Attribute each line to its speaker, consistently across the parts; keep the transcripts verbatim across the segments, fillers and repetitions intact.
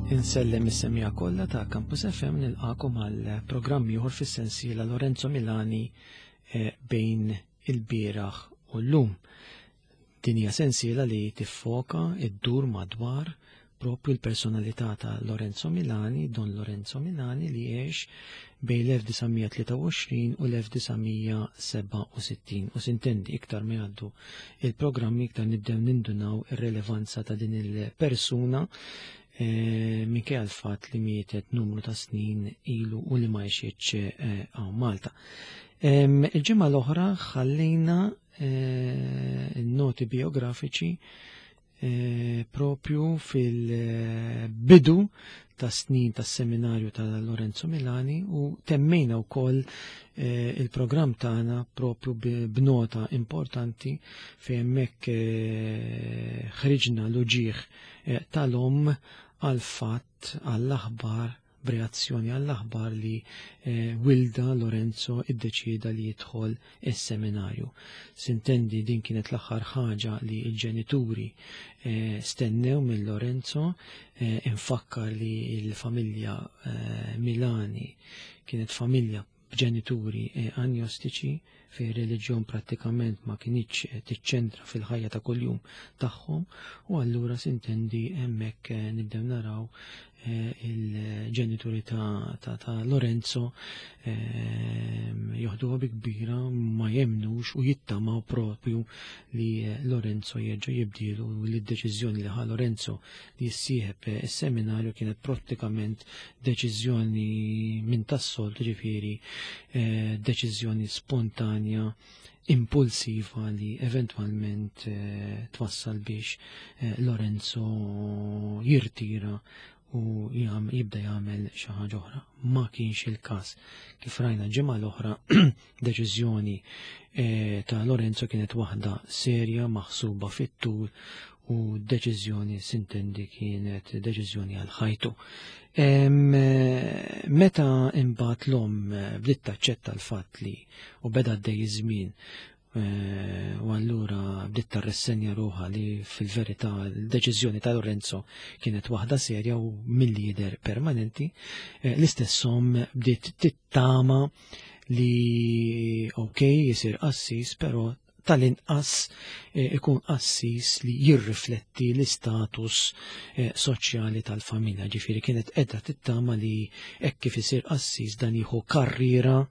Speaker 1: Insellem is-semija kollha ta' Campus F M, nilqakom għal programm ieħor fis-sensiela Lorenzo Milani, eh, bejn il-bieraħ u llum. Din hija sensiela li tiffoka id-dur madwar propju l-personalità ta' Lorenzo Milani, Don Lorenzo Milani, li għex bejn l-elf disa' mija tlieta u għoxrin u l-elf disa' mija sebgħa u sittin. U sintendi iktar ma jgħaddu il-programmi iktar nibdew nindunaw ir-relevanza ta' din il-persuna, eh, minkejja l-fatt li mietet numru ta' snin ilu u li ma għexitx, eh, hawn Malta. Em, il-ġimgħa l-oħra ħallejna, eh, noti biografiċi, eh, propju fil-bidu ta' snin tas seminarju ta' Lorenzo Milani u temmejna wkoll, eh, il-programm tagħna propju b-, b'nota importanti fejn hemmhekk, eh, ħriġna l-uġigħ, eh, tal-omm għal fatt, għall-aħbar, b'reazzjoni għall-aħbar li, eh, Wilda Lorenzo iddeċieda li jidħol is-seminarju. Sintendi din kienet l-aħħar ħaġa li l-ġenituri, eh, stennew minn Lorenzo, eh, infakkar li l-familja, eh, Milani kienet familja b'ġenituri, eh, agnostiċi, fejn reliġjon prattikament ma kinitx, eh, tiċċentra fil-ħajja ta' kuljum tagħhom, u allura sintendi hemmhekk, eh, nibdew naraw, eh, il-ġenituri ta', ta', ta' Lorenzo, ehm, joħduha bi kbira, ma jemnux u jittamaw propju li, eh, Lorenzo jerġa' jibdilu, u li d-deċiżjoni li ħa Lorenzo li jissieħeb is-seminarju kienet prattikament deċiżjoni minn tas-soltu, ġifieri, eh, deċiżjoni spontanja, impulsiva li eventwalment, eh, twassal biex, eh, Lorenzo jirtira u jam-, jibda jagħmel xi ħaġa oħra. Ma kienx il-każ. Kif rajna ġimgħa l-oħra, deċiżjoni, eh, ta' Lorenzo kienet waħda serja, maħsuba fit-tul, u deċiżjoni sintendi kienet deċiżjoni għal ħajtu. Em, eh, meta imbagħad l-omm, eh, bdiet taċċetta l-fatt li u beda għaddej iż-żmien, eh, u allura bdiet tarressenja ruħha li fil-verità l-deċiżjoni ta' Lorenzo kienet waħda serja u mill-lider permanenti, eh, l-istess omm bdiet tittama li ok jisir qassis, però tal-inqas, eh, ikun qassis li jirrifletti l-istatus, eh, soċjali tal-familja. Ġifieri kienet qiegħda tittama li hekk kif isir qassis dan jieħu karriera,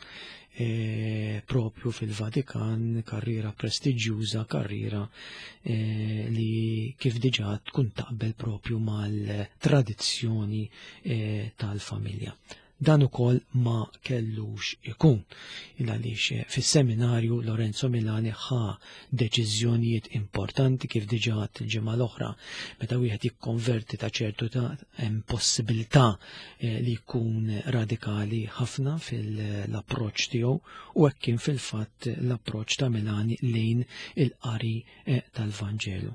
Speaker 1: eh, propju fil-Vatikan, karriera prestiġjuża, karriera, eh, li kif diġà tkun taqbel propju mal-tradizzjoni, eh, tal-familja. Dan ukoll ma kellux ikun, il għaliex fis-seminarju Lorenzo Milani ħa deċiżjonijiet importanti kif diġà għadt il-ġimgħa l-oħra. Meta wieħed jikkonverti ta' ċertu ta' hemm possibilità, eh, li jkun radikali ħafna fil-approċċ tiegħu, u hekk kien fil-fatt l-approċċ ta' Milani lejn il-qari, eh, tal-Vanġelu.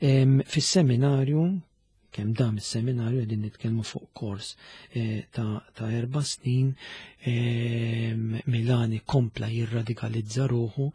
Speaker 1: Em, fis-seminarju, kemm dam is-seminarju, qegħdin nitkellmu fuq kors, eh, ta', ta' erba' snin, ehm, Milani kompla jirradikalizza ruħu,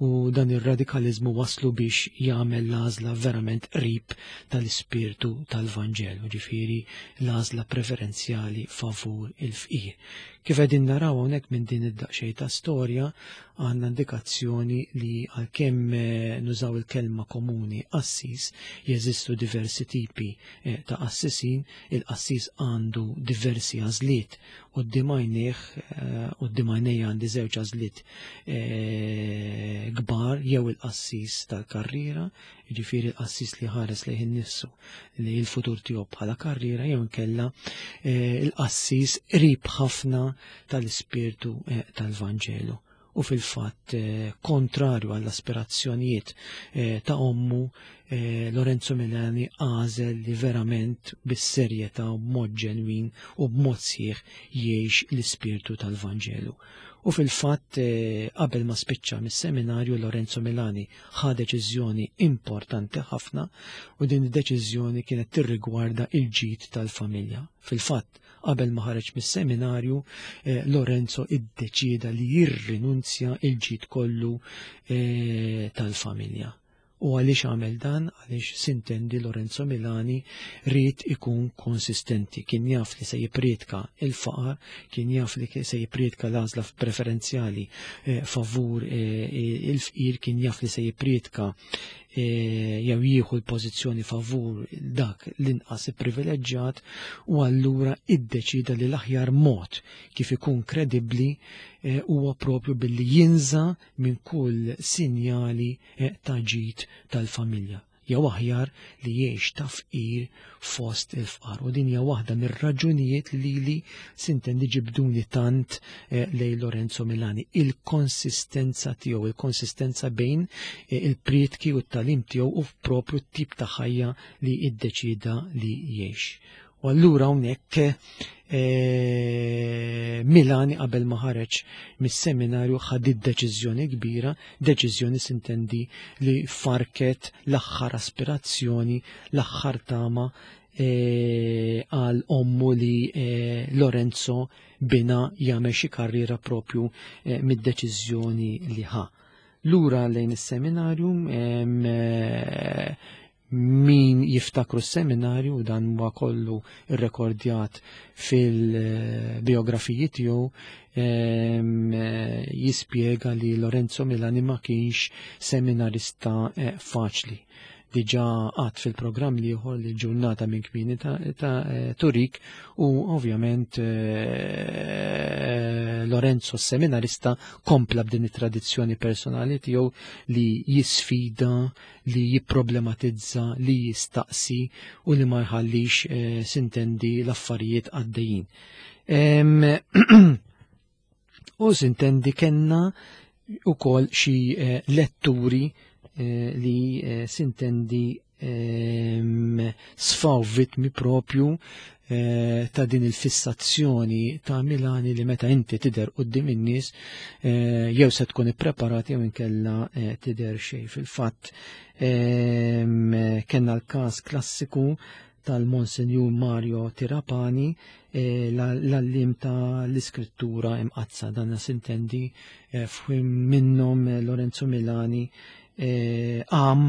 Speaker 1: u dan ir-radikalizmu waslu biex jagħmel l-għażla verament qrib tal-ispirtu tal-Vanġelu, ġifieri l-għażla preferenzjali favur il-fqir. Kif qegħdin naraw hawnhekk minn din id-daqsxejn ta' storja, għandna indikazzjoni li għalkemm, eh, nużaw il-kelma komuni qassis, jeżistu diversi tipi, eh, ta' qassisin, il-qassis għandu diversi għażliet. Quddiem għajnejh, eh, quddiem għajnejja għandi żewġ għażliet, eh, kbar, jew il-qassis tal-karriera, jiġifieri l-qassis li ħares lejn innifsu li l-futur tiegħu bħala karriera, jew inkella, eh, il-qassis qrib ħafna tal-ispirtu, eh, tal-Vanġelu. U fil-fatt, eh, kontrarju għall-aspirazzjonijiet, eh, ta' ommu, eh, Lorenzo Milani għażel li verament bis-serjetà u b'mod ġenwin u b'mod sħiħ jgħix l-ispirtu tal-Vanġelu. U fil-fatt, eh, qabel ma spiċċa mis-seminarju Lorenzo Milani ħa deċiżjoni importanti ħafna, u din id-deċiżjoni kienet tirrigwarda il-ġid tal-familja. Fil-fatt, qabel ma ħareġ mis-seminarju, eh, Lorenzo iddeċieda li jirrinunzja il-ġid kollu, eh, tal-familja. U għaliex għamel dan? Għaliex sintendi Lorenzo Milani ried ikun konsistenti. Kien jaf li se jipriedka il-faqar, kien jaf li se jipriedka l-għażla preferenzjali eh, favur eh, il-fqir, kien jaf li se jipriedka eh, jew jieħu l-pożizzjoni favur dak l-inqas ipprivileġġjat, u allura iddeċida li l-aħjar mod kif ikun kredibbli huwa propju billi jinża minn kull sinjali ta' ġid tal-familja, jew aħjar li jgħix ta' fqir fost il-fqar. U din hija waħda mir-raġunijiet li li sintendi ġibduni tant lejn Lorenzo Milani, il-konsistenza tiegħu, il-konsistenza bejn il-prietki u t-tagħlim tiegħu u propju t-tip ta' ħajja li iddeċida li jgħix. U allura hawnhekk Milani qabel ma ħareġ mis-seminarju ħad deċiżjoni kbira, deċiżjoni sintendi li farket l-aħħar aspirazzjoni, l-aħħar tama għal ommu li Lorenzo bina jagħmel xi karriera propju mid-deċiżjoni li ħa. Lura lejn is-seminarju, min jiftakru s-seminarju, dan huwa kollu irrekordjat fil-biografiji tiegħu, jispjega li Lorenzo Milani ma kienx seminarista faċli. Diġà għad fil-programm ieħor li ġurnata minn kmieni ta', ta Turik, u ovvjament Lorenzo seminarista kompla b'din it-tradizzjoni personali tiegħu li jisfida, li jipproblematizza, li jistaqsi u li ma jħallix sintendi l-affarijiet għaddejjin. U sintendi kenna ukoll xi letturi li sintendi sfaw vitmi propju ta' din il-fissazzjoni ta' Milani li meta inti tidher quddiem in-nies jew se tkun ippreparat jew inkella tidher xejn. Fil-fatt kellna l-każ klassiku tal-Monsenjur Mario Tirapani, l-allim ta' l-iskrittura imqazza. Dan sintendi f'ħin minnhom Lorenzo Milani għam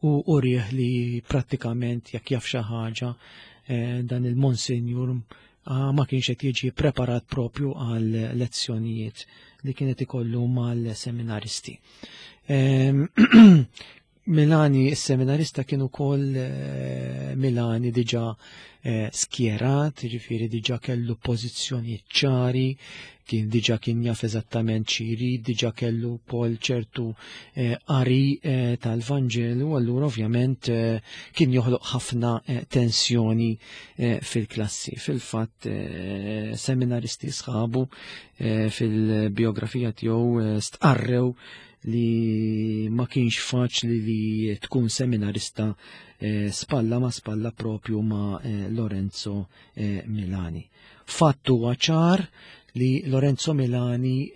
Speaker 1: u urieħ li prattikament jekk jaf xi ħaġa dan il-Monsenjur ma kienx qed jiġi preparat propju għal lezzjonijiet li kienet ikollu mal-seminaristi. Milani, is-seminarista kien ukoll Milani diġà skjerat, jiġifieri diġà kellu pożizzjoni ċari, kien diġà kien jaf eżattament xi jrid, diġà kellu wkoll ċertu qari tal-Vanġelu, allura ovvjament kien joħloq ħafna tensjoni fil-klassi. Fil-fatt seminaristi sħabu fil-biografija tiegħu stqarrew li ma kienx faċli li tkun seminarista spalla ma spalla propju ma Lorenzo Milani. Fattu huwa ċar li Lorenzo Milani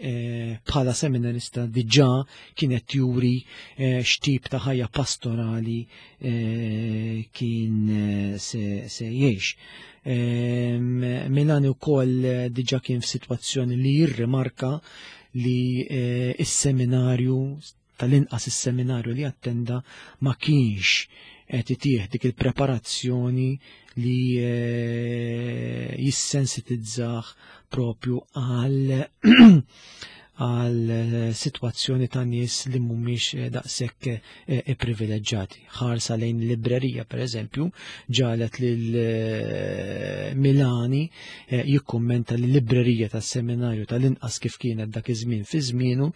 Speaker 1: bħala seminarista diġà kienet juri x'tip ta' ħajja pastorali kien se, se jgħix. Milani wkoll diġà kien f'sitwazzjoni li jirrimarka li is-seminarju, tal-inqas is-seminarju li attenda, ma kienx qed itih dik il-preparazzjoni li jissensitizzah propju għal għal sitwazzjoni ta' nies li mhumiex daqshekk ipprivileġġjati. Ħarsa lejn librerija, per eżempju, ġalet lil Milani jikkummenta li librerija tas-seminarju, tal-inqas kif kienet dak iż-żmien fi żmienu,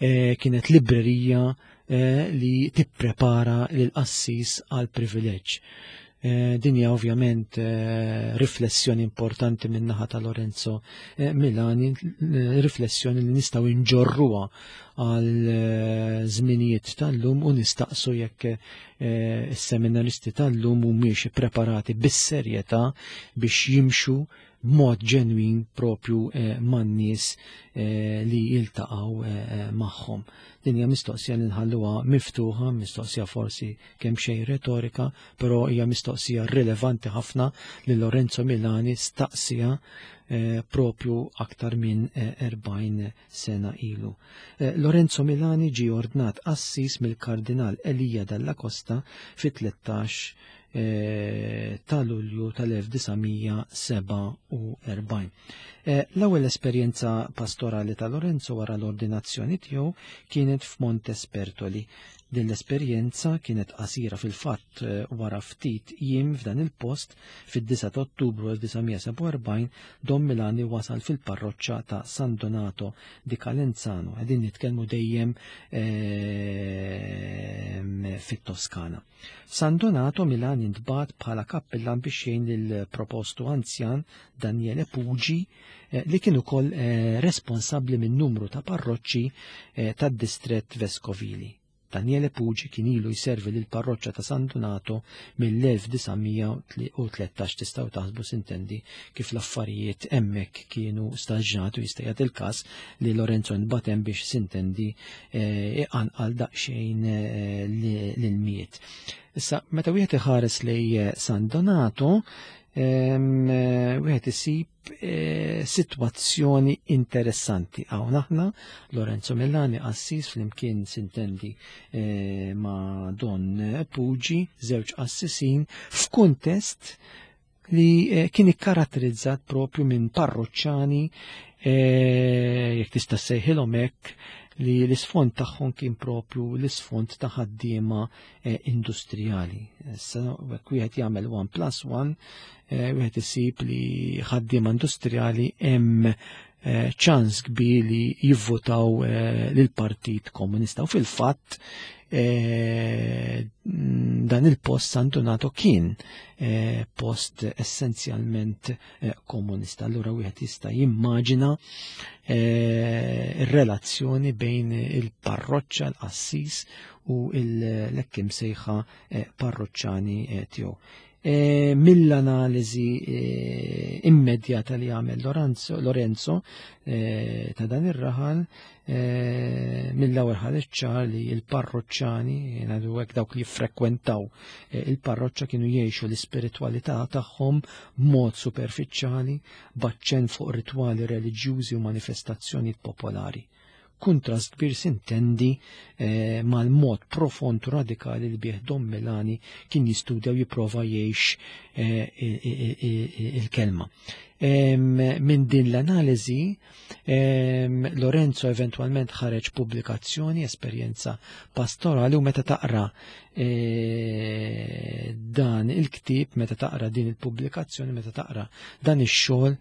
Speaker 1: kienet librerija li tipprepara lil qassis għal privileġġ. Din hija ovvjament riflessjoni importanti min-naħa ta' Lorenzo Milani, riflessjoni li nistgħu nġorruha għal żminijiet tal-lum u nistaqsu jekk is-seminaristi tal-lum mhumiex ippreparati bis-serjetà biex jimxu b'mod ġenwin propju eh, man-nies eh, li jiltaqgħu eh, magħhom. Din hija mistoqsija li nħalluha miftuħa, mistoqsija forsi kemm xejn retorika, però hija mistoqsija rilevanti ħafna li Lorenzo Milani staqsija eh, propju aktar minn erbgħin sena ilu. Eh, Lorenzo Milani ġie ordnat qassis mill-Kardinal Elija Dalla Costa fit-tlettax eh, ta' Lulju tal-elf disa' mija sebgħa u erbgħin. Eh, l-ewwel esperjenza pastorali ta' Lorenzo wara l-ordinazzjoni tiegħu kienet f'Montespertoli. Din l-esperjenza kienet qasira fil-fatt, eh, wara ftit jiem f'dan il-post fid-disa ta' Ottubru elf disa' mija sebgħa u erbgħin Don Milani wasal fil-parroċċa ta' San Donato di Calenzano. Qegħdin nitkellmu dejjem, ehm, fit-Toskana. San Donato Milani ntbagħat bħala kappillan biex jgħin lill-propostu anzjan Daniele Pugi, eh, li kien ukoll, eh, responsabbli minn numru ta' parroċċi, eh, tad-distrett Vescovili. Daniele Pugi kien ilu jservi lil parroċċa ta' San Donato mill-elf disa' mija u tlettax. Tistgħu taħsbu sintendi kif l-affarijiet hemmhekk kienu staġġati u jista' jagħti il-każ li Lorenzo nbatem biex sintendi, eh, iqanqal daqsxejn, eh, li-, lil-miet. Issa, meta wieħed iħares lej, eh, San Donato, ehm, eh, wieħed isib, eh, sitwazzjoni interessanti. Hawn aħna Lorenzo Milani qassis flimkien sintendi, eh, ma' Don Pugi, żewġ qassisin f'kuntest li, eh, kien ikkaratterizzat propju minn parroċċani, eh, jekk tista' ssejħilhom hekk, li l-isfond tagħhom kien propju l-isfond ta' ħaddiema, eh, industrijali. Issa jekk wieħed jagħmel one plus one, eh, wieħed isib li ħaddiema industrijali hemm, eh, ċans kbir li jivvotaw, eh, lill-Partit Komunista. U fil-fatt, eh, dan il-post San Donato kien, eh, post essenzjalment, eh, komunista. Allura wieħed jista' jimmagina, eh, ir-relazzjoni bejn il-parroċċa, l-qassis u l-hekk imsejħa, eh, parroċċani, eh, tiegħu. Eh, mill-analiżi, eh, immedjata li għamel Lorenzo, Lorenzo, eh, ta' dan ir-raħal, eh, mill-ewwel ħareġ ċar li l-parroċċani, ngħidu hekk dawk li jiffrekwentaw, eh, il-parroċċa kienu jgħixu l-ispiritwalità tagħhom b'mod superfiċjali, b'aċċenn fuq ritwali reliġjużi u manifestazzjonijiet popolari. Kuntrast kbir sintendi, eh, mal-mod profond u radikali li bih Don Milani kien jistudja u jipprova jgħix, eh, i-, i-, i-, i-, il-kelma. Em, minn din l-analiżi, em, Lorenzo eventwalment ħareġ pubblikazzjoni, esperjenza pastorali, u meta taqra, eh, dan il-ktieb, meta taqra din il-pubblikazzjoni, meta taqra dan ix-xogħol,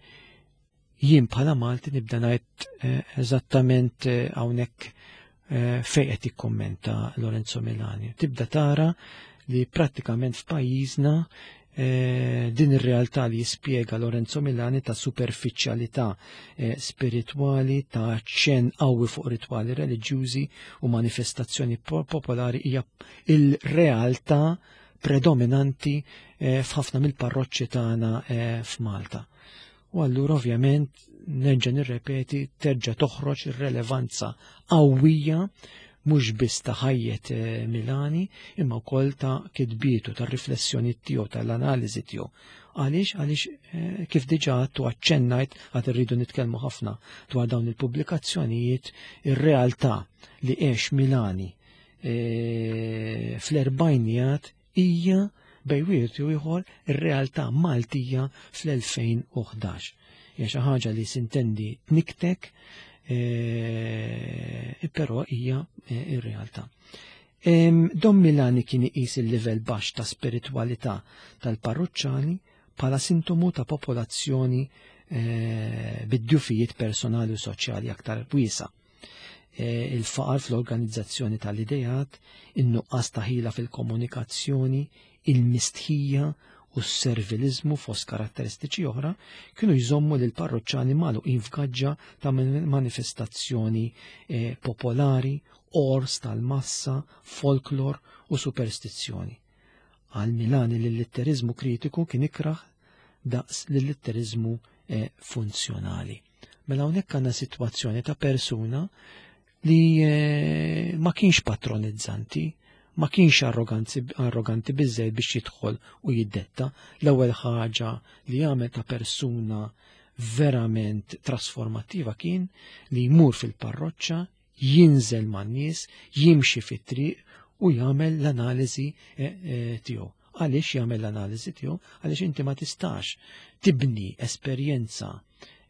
Speaker 1: jien bħala Malti nibda ngħid, eh, eżattament, eh, hawnhekk, eh, fejn qed jikkommenta Lorenzo Milani. Tibda tara li prattikament f'pajjiżna, eh, din ir-realtà li jispjega Lorenzo Milani ta' superfiċjalità, eh, spiritwali, ta' ċen qawwi fuq ritwali reliġjużi u manifestazzjoni po-, popolari hija il-realtà predominanti, eh, f'ħafna mill-parroċċi tagħna, eh, f'Malta. U allura ovvjament nerġa' nirrepeti, terġa' toħroġ ir-relevanza qawwija mhux biss ta' ħajjet, eh, Milani, imma wkoll ta' kitbietu, ta' riflessjoni tiegħu, tal-analiżi tiegħu. Għaliex? Għaliex, eh, kif diġà għadtu aċċennajt, għad irridu nitkellmu ħafna dwar dawn il-pubblikazzjonijiet, ir-realtà li għex Milani, eh, fl-erbgħinijat hija bejn wieħed u ieħor ir-realtà Maltija fl-elfejn u ħdax. Hija xi ħaġa li sintendi tniktek, eh, però hija, eh, ir-realtà. Em, Don Milani kien iqis il-livell baxx ta' spiritwalità tal-parruċċani bħala sintomu ta' popolazzjoni, eh, bid-djufijiet personali u soċjali aktar wiesa. Eh, il-faqar fl-organizzazzjoni tal-idejat, in-nuqqas ta' ħila fil-komunikazzjoni, il-mistħija u s-servilizmu fost karatteristiċi oħra kienu jżommu lil parroċċani magħluqin f'gaġġa ta' man-, manifestazzjoni, eh, popolari, ors tal-massa, folklor u superstizzjoni. Għal Milani l-litterizmu kritiku kien ikraħ daqs l-litterizmu eh, funzjonali. Mela hawnhekk għandna sitwazzjoni ta' persuna li eh, ma kienx patronizzanti, ma kienx arroganti biżżejjed biex jidħol u jiddetta. L-ewwel ħaġa li għamel ta' persuna verament trasformattiva kien li jmur fil-parroċċa, jinżel man-nies, jimxi fit-triq u jagħmel l-analiżi eh, eh, tiegħu. Għaliex jagħmel l-analiżi tiegħu? Għaliex inti ma tistax tibni esperjenza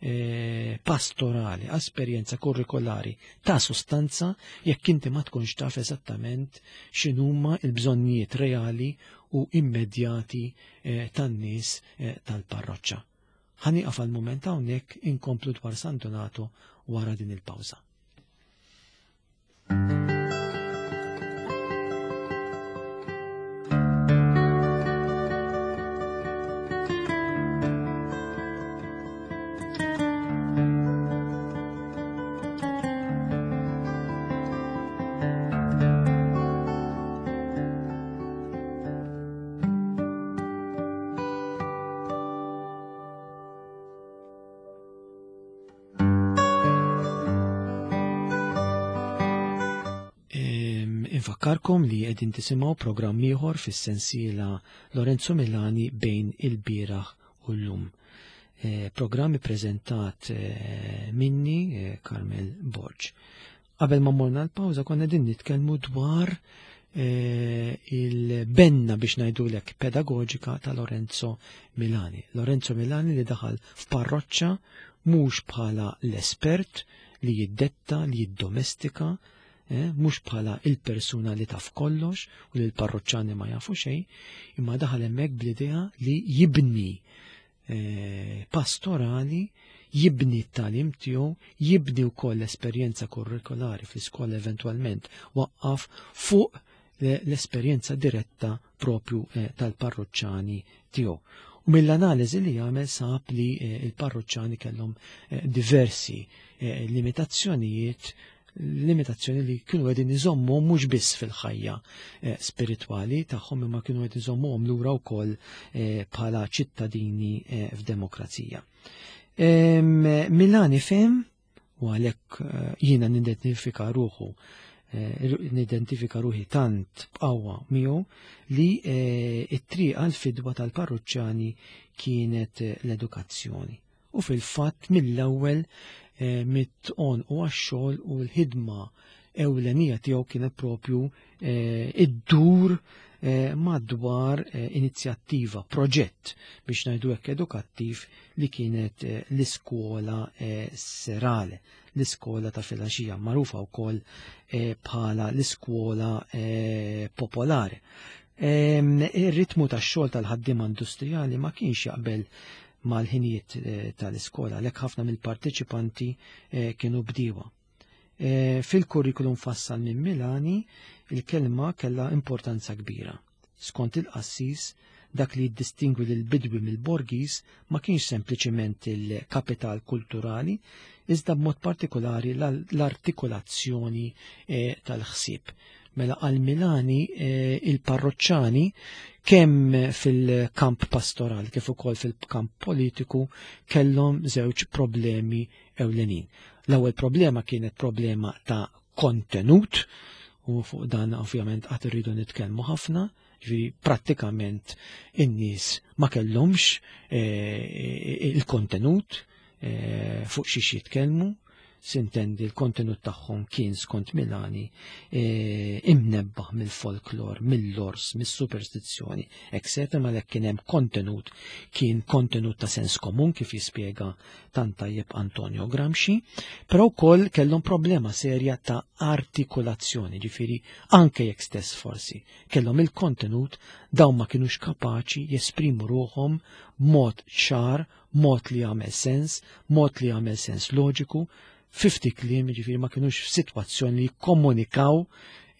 Speaker 1: eh, pastorali, esperjenza kurrikolari ta' sustanza jekk inti ma tkunx taf eżattament x'inhuma l-bżonnijiet reali u immedjati eh, tan-nies eh, tal-parroċċa. Ħa nieqaf għal mument hawnhekk, inkomplu dwar San Donato wara din il-pawża. Infakkarkom li qegħdin tisimgħu programm ieħor fis-sensiela Lorenzo Milani bejn il-bieraħ u llum. Eh, programm ippreżentat eh, minni eh, Carmel Borg. Qabel ma morna l-pawża konna qegħdin nitkellmu dwar eh, il-benna biex ngħidulek pedagoġika ta' Lorenzo Milani. Lorenzo Milani li daħal f'parroċċa mhux bħala l-espert li jiddetta, li jiddomestika, eh, mhux bħala il-persuna li taf kollox u li l-parroċċani ma jafu xejn, imma daħal hemmhekk bl-idea li jibni eh, pastorali, jibni t-tagħlim tiegħu, jibni wkoll l-esperjenza kurrikolari fl-iskola eventwalment waqqaf fuq l-esperjenza diretta propju eh, tal-parroċċani tiegħu. U mill-analiżi li jagħmel sab li eh, il-parroċċani kellhom eh, diversi eh, limitazzjonijiet, limitazzjoni li kienu qegħdin iżommu mhux biss fil-ħajja eh, spiritwali tagħhom imma kienu qegħdin iżommuhom lura wkoll eh, bħala ċittadini eh, f'demokrazija. Em, Milani fem, u għalhekk eh, jiena nidentifika ruħu eh, nidentifika ruħi tant b'qawwa miegħu li eh, it-triq għal-fidwa tal-parruċċani kienet eh, l-edukazzjoni. U fil-fatt mill-ewwel eh, mit-on u għax-xogħol u l-ħidma ewlenija tiegħu kienet propju eh, id-dur eh, madwar eh, inizjattiva, proġett biex ngħidu hekk edukattiv li kienet eh, l-iskola eh, serale, l-iskola ta' filgħaxija, magħrufa wkoll eh, bħala l-iskola eh, popolari. Em, Ir-ritmu tax-xogħol tal-ħaddiema industrijali ma kienx jaqbel mal-ħinijiet eh, tal-iskola, għalhekk ħafna mill-parteċipanti eh, kienu bdiewa. Eh, Fil-kurrikulum fassal minn Milani, il-kelma kellha importanza kbira. Skont il-qassis, dak li jiddistingwi lil bidwi mill-borgis ma kienx sempliċiment il-kapital kulturali, iżda b'mod partikolari l-artikolazzjoni eh, tal-ħsieb. Mela għal Milani eh, il-parroċċani kemm fil-kamp pastorali kif ukoll fil-kamp politiku kellhom żewġ problemi ewlenin. L-ewwel problema kienet problema ta' kontenut, u fuq dan ovvjament qatt irridu nitkellmu ħafna, ġifieri prattikament in-nies ma kellhomx eh, il-kontenut eh, fuq xiex jitkellmu, sintendi l-kontenut tagħhom kien skont Milani eh, imnebbaħ mill-folklor, mill-lors, mis-superstizzjoni, eccetera, ma lek kien hemm kontenut kien kontenut ta' sens komun kif jispjega tant tajjeb Antonio Gramsci, però wkoll kellhom problema serja ta' artikolazzjoni, ġifieri anke jekk stess forsi kellhom il-kontenut dawn ma kinux kapaċi jesprimu ruħhom mod ċar, mod li jagħmel sens, mod li jagħmel sens loġiku, fifty kliem, ġifieri ma kinux f'sitwazzjoni li jikkomunikaw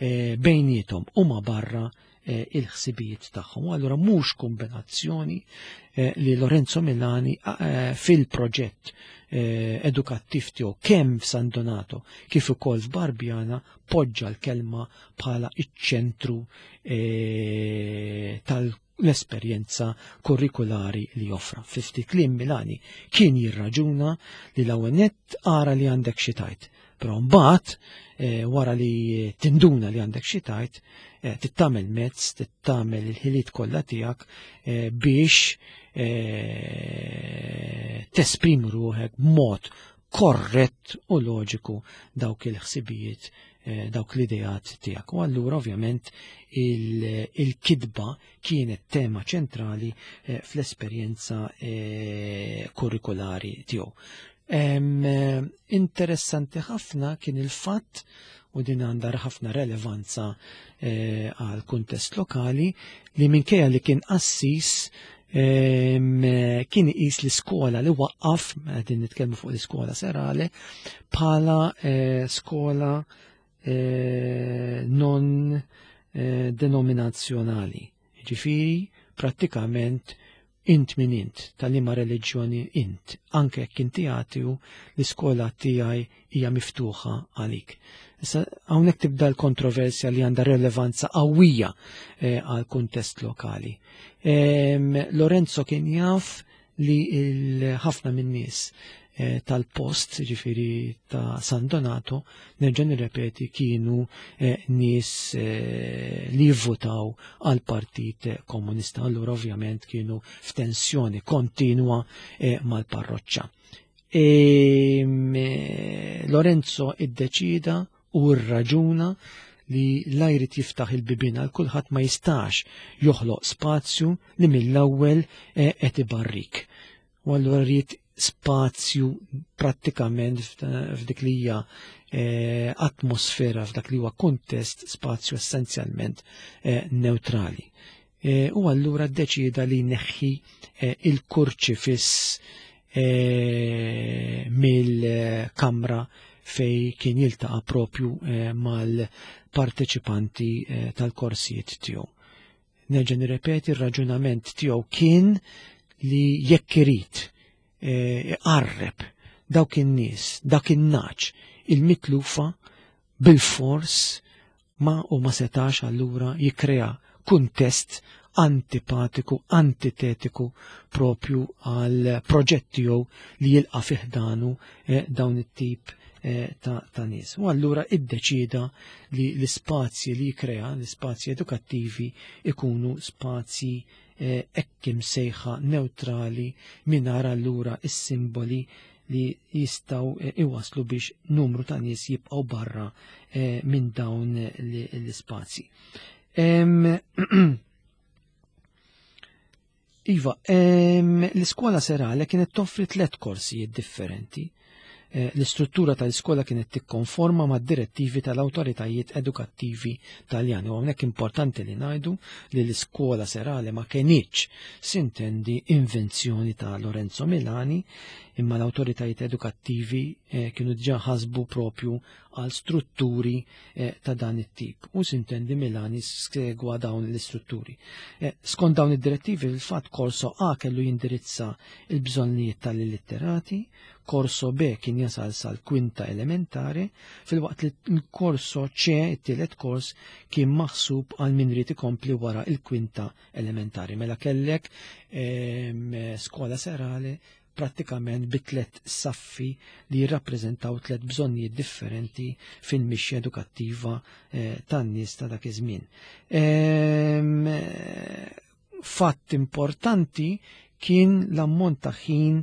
Speaker 1: eh, bejniethom u ma barra eh, il-ħsibijiet tagħhom. U allura mhux kombinazzjoni eh, li Lorenzo Milani eh, fil-proġett eh, edukattiv tiegħu kemm f'San Donato kif ukoll f'Barbiana poġġa l-kelma bħala iċ-ċentru eh, tal l-esperjenza kurrikulari li joffra. Fi ftit kliem Milani kien jirraġuna li l-ewwel nett ara li għandek xi tgħid. Però mbagħad eh, wara li tinduna li għandek xi tgħid, eh, tittamel mezz, tittamel il-ħiliet kollha tiegħek eh, biex eh, tesprimi ruħek b'mod korrett u loġiku dawk il-ħsibijiet, eh, dawk l-ideat tiegħek. U allura ovvjament il-kitba kienet tema ċentrali eh, fl-esperjenza eh, kurrikulari tiegħu. Em, eh, Interessanti ħafna kien il-fatt, u din għandha ħafna relevanza eh, għal kuntest lokali, li minkejja li kien qassis em, eh, kien iqis l-iskola li waqqaf, qegħdin nitkellmu fuq l-iskola serale, bħala eh, skola eh, non eh, denominazzjonali. Ġifieri, prattikament int min int, tal-liema reliġjoni int, anke jekk inti ateu, l-iskola tiegħi hija miftuħa għalik. Issa hawnhekk tibda l-kontroversja li għandha relevanza qawwija eh, għal kuntest lokali. Em, Lorenzo kien jaf li ħafna min-nies eh, tal-post, ġifieri ta' San Donato, nerġa' nirrepeti, kienu eh, nies eh, li jivvotaw għal Partit Komunista. Allura ovvjament kienu f'tensjoni kontinwa eh, mal-parroċċa. Em, eh, Lorenzo iddeċida u rraġuna li la jrid jiftaħ il-bibien għal kulħadd ma jistax joħloq spazju li mill-ewwel eh, qed ibarrik. U allura rrid spazju prattikament f'dik li hija eh, atmosfera, f'dak li huwa kuntest, spazju essenzjalment eh, neutrali. Eh, u allura ddeċida li jneħħi eh, il-kurċifiss eh, mill-kamra fej kien jiltaqa' propju eh, mal-parteċipanti eh, tal-korsijiet tiegħu. Nerġa' nirrepeti, ir-raġunament tiegħu kien li jekk irid eh, iqarreb dawk in-nies, dak in-nagħaġ il-mitlufa, bil-fors ma u ma setax allura jikrea kuntest antipatiku, antitetiku propju għal proġett tiegħu li jilqa' fi ħdanu eh, dawn it-tip eh, ta', ta' nies. U allura iddeċida li l-ispazji li jikrea, l-ispazji edukattivi, ikunu spazji eh, hekk imsejħa neutrali, mingħajr allura is-simboli li jistaw eh, iwaslu biex numru ta' nies jibqgħu barra eh, minn dawn l-ispazji. Em, Iva, em, l-iskola serale kienet toffri tliet korsijiet differenti. Eh, L-istruttura tal-iskola kienet tikkonforma mad direttivi tal-awtoritajiet edukattivi Taljani. U hawnhekk importanti li ngħidu li l-iskola serale ma kenitx, sintendi, invenzjoni ta' Lorenzo Milani, imma l-awtoritajiet edukattivi eh, kienu diġà ħasbu propju għal strutturi eh, ta' dan it-tip. U sintendi Milani segwa dawn l-istrutturi. Eh, skont dawn id-direttivi, il-fatt korso A kellu jindirizza il-bżonnijiet tal-illitterati, korso B kien jasal sal-kwinta elementari, filwaqt li l-korso C, it-tielet kors, kien maħsub għal min ried ikompli wara il-kwinta elementari. Mela kellek em, skola serale prattikament bi tliet saffi li jirrappreżentaw tliet bżonnijiet differenti fil-mixja edukattiva eh, tan-nies ta' dak iż-żmien. Em, Fatt importanti kien l-ammont ta' ħin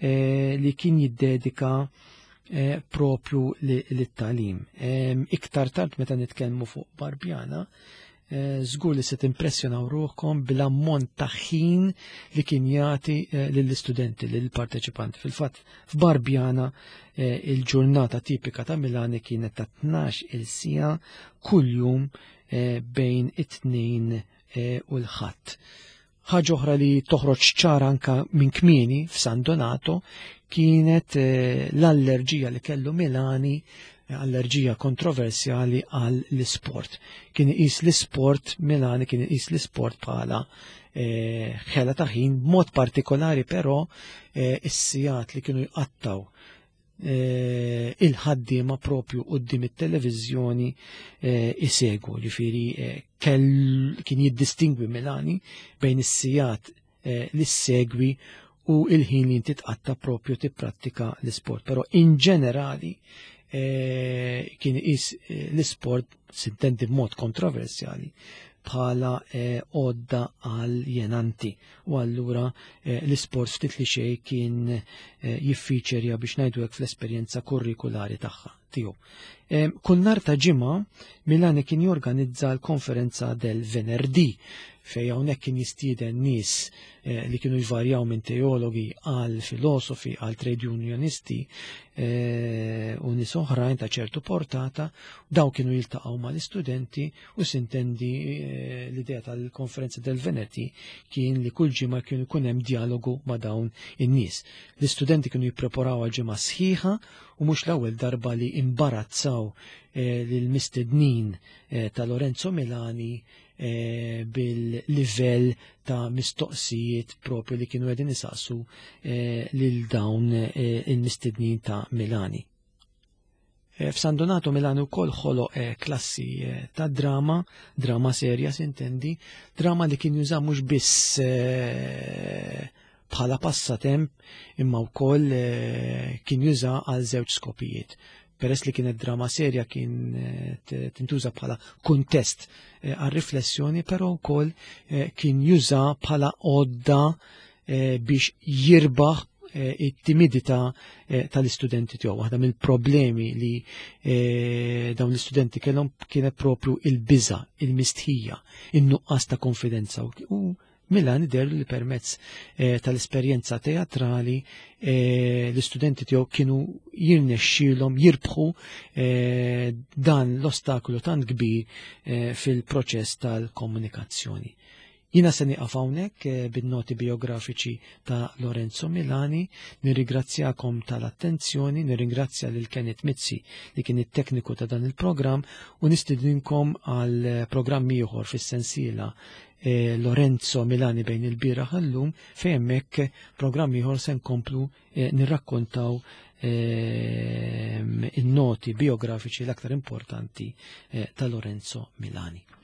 Speaker 1: eh, li kien jiddedika eh, propju lit-tagħlim. Em, Iktar tard meta nitkellmu fuq Barbjana, eh, żgur li se timpressjonaw ruħkom bil-ammont ta' ħin li kien jagħti eh, lill-istudenti, lill-parteċipanti. Fil-fatt, f'Barbjana eh, il-ġurnata tipika ta' Milani kienet ta' tnax il siegħa kuljum eh, bejn it-tnejn eh, u l-Ħadd. Ħaġa oħra li toħroġ ċara anka minn kmieni f'San Donato kienet eh, l-allerġija li kellu Milani, eh, allerġija kontroversjali għal l-isport. Kien iqis l-isport, Milani kien iqis l-isport bħala eh, ħela ta' ħin, b'mod partikolari però eh, is-sigħat li kienu jqattaw eh, il-ħaddiema propju quddiem it-televiżjoni eh, isegwu, ġifieri eh, kien jiddistingwi Milani bejn is-sigħat eh, li segwi u il-ħin li inti tqatta propju tipprattika l-isport. Però in ġenerali eh, kien is eh, l-isport, sintendi b'mod kontroversjali, bħala eh, għodda aljenanti, u allura eh, l-isport ftit li xejn kien eh, jiffiċerja, biex ngħidu hekk, fl-esperjenza kurrikulari tagħha tiegħu. Eh, kull nhar ta' ġimgħa Milani kien jorganizza l-konferenza del Venerdì, fej hawnhekk kien jistieden nies eh, li kienu jvarjaw minn teologi għal filosofi għal trade unionisti eh, u nies oħrajn ta' ċertu portata. Daw kienu jiltaqgħu mal-istudenti u sintendi eh, l-idea tal-konferenza del Venerdì kien li kull ġimgħa kienu jkun hemm dialogu ma' dawn in-nies. L-istudenti kienu jippreparaw għal ġimgħa sħiħa u mhux l-ewwel darba li imbarazzaw eh, lill-mistednin eh, ta' Lorenzo Milani eh, bil-livell ta' mistoqsijiet propju li kienu qegħdin isaqsu eh, lil dawn eh, il-mistednin ta' Milani. Eh, F'San Donato Milani wkoll ħoloq eh, klassi eh, ta' drama, drama serja sintendi, drama li kien juża mhux biss eh, bħala passatemp, imma wkoll eh, kien juża għal żewġ skopijiet. Peress li kienet drama serja, kien eh, tintuża bħala kuntest eh, għal riflessjoni, però wkoll eh, kien juża bħala għodda biex jirbaħ it-timidità tal-istudenti tiegħu. Waħda mill-problemi li dawn l-istudenti kellhom kienet propju il-biża, il-mistħija, in-nuqqas ta' konfidenza, u Milani deher li permezz eh, tal-esperjenza teatrali eh, l-istudenti tiegħu kienu jirnexxielhom jirbħu eh, dan l-ostakolu tant kbir eh, fil-proċess tal-komunikazzjoni. Jina se nieqaf hawnhekk eh, bin-noti biografiċi ta' Lorenzo Milani, nirringrazzjakom tal-attenzjoni, nirringrazzja lil Kenneth Mizzi li kien it-tekniku ta' dan il-programm u nistidinkom għal programm ieħor fis-sensiela eh, Lorenzo Milani bejn il-bieraħ u llum, fejn hemmhekk programm ieħor se nkomplu eh, nirrakkontaw in-noti biografiċi l-aktar importanti ta' Lorenzo Milani.